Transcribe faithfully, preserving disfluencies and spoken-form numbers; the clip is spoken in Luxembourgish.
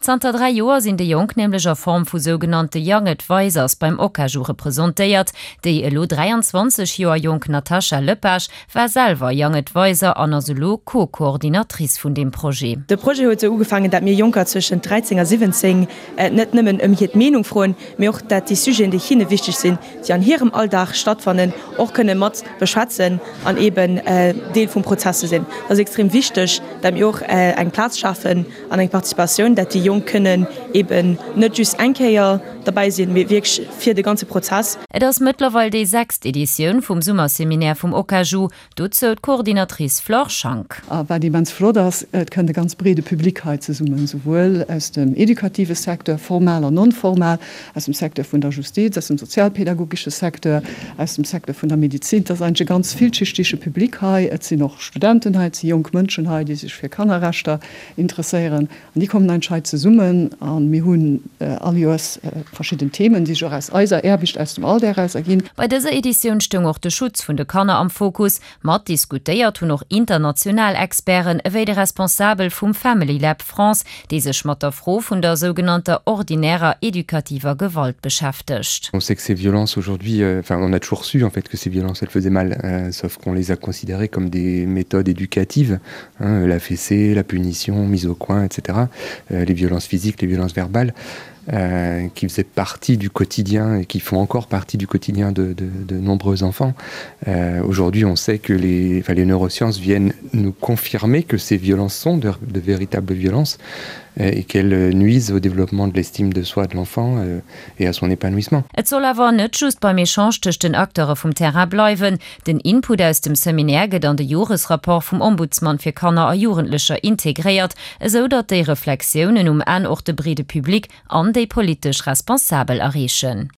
Zanter dräi Joer sinn déi Jonk nämlech a Form vu sougenannte Young Advisors beim Okaju representéiert. Déi elo dräianzwanzeg Joer jonk Natasha Lepage war selwer Young Advisor an ass elo Co-Coordinatrice vun deem Projet. De Projet huet esou ugefaangen, dat mir Jonker zwëschent dräizéng a siwwenzéng net nëmmen ëm hiert Meenung froen, mee och dat déi Sujeten, déi hinne wichteg sinn, déi an hirem Alldag stattfannen, och kënne mat beschwätzen an eeben Deel vum Prozess ze sinn. Dat ass extrem wichteg, dat mir och eng Plaz schafen an eng Participatioun, dat déi Jonk kënnen eeben net just eng Kéier derbäi sinn, mee wierklech fir de ganze Prozess. Et ass mëttlerweil déi sechst Editioun vum Summerseminaire vum Okaju. Dozou d'Coordinatrice Flore Schank. A wat immens flott ass, et kënnt e ganz breede Public hei zesummen, souwuel aus dem educative Secteur, formal an non-formal, aus dem Secteur vun der Justiz, aus dem sozialpädagogesche Secteur, aus dem Secteur vun der Medizin. Et ass eigentlech e ganz villschichtege Public hei. Et sinn och Studenten hei, et si jonk Mënschen hei, déi sech fir Kannerrechter interesséieren. An déi kommen eigentlech hei zesummen a mir hunn all Joers verschidden Themen, déi sech och aus eiser Aarbecht, aus dem Alldag eraus erginn. Bei dëser Editioun stoung och de Schutz vun de Kanner am Fokus. Mat diskutéiert hunn och international Experten, ewéi de Responsabel vum Family Lab France, dee sech mat der Fro vun der sougenannter ordinärer edukativer Gewalt beschäftegt. On sait que ces violences aujourd'hui, enfin on a toujours su en fait que ces violences elles faisaient mal, sauf qu'on les a considérées comme des méthodes éducatives, hein, la fessée, la punition, mise au coin, etc. Les violences physiques, les violences verbales euh, qui faisaient partie du quotidien et qui font encore partie du quotidien de, de, de nombreux enfants. Euh, Aujourd'hui, on sait que les, enfin, les neurosciences viennent nous confirmer que ces violences sont de, de véritables violences euh, et qu'elles nuisent au développement de l'estime de soi de l'enfant euh, et à son épanouissement. Et soll awer net just beim Echange tëscht den Acteure vum Terrain bleiwen. Den Input aus dem Seminaire gëtt an de Joresrapport vum Ombudsman fir Kanner a Jugendlecher integréiert, esou datt déi Reflexiounen um Enn och de breede Public an déi politesch Responsabel erreechen.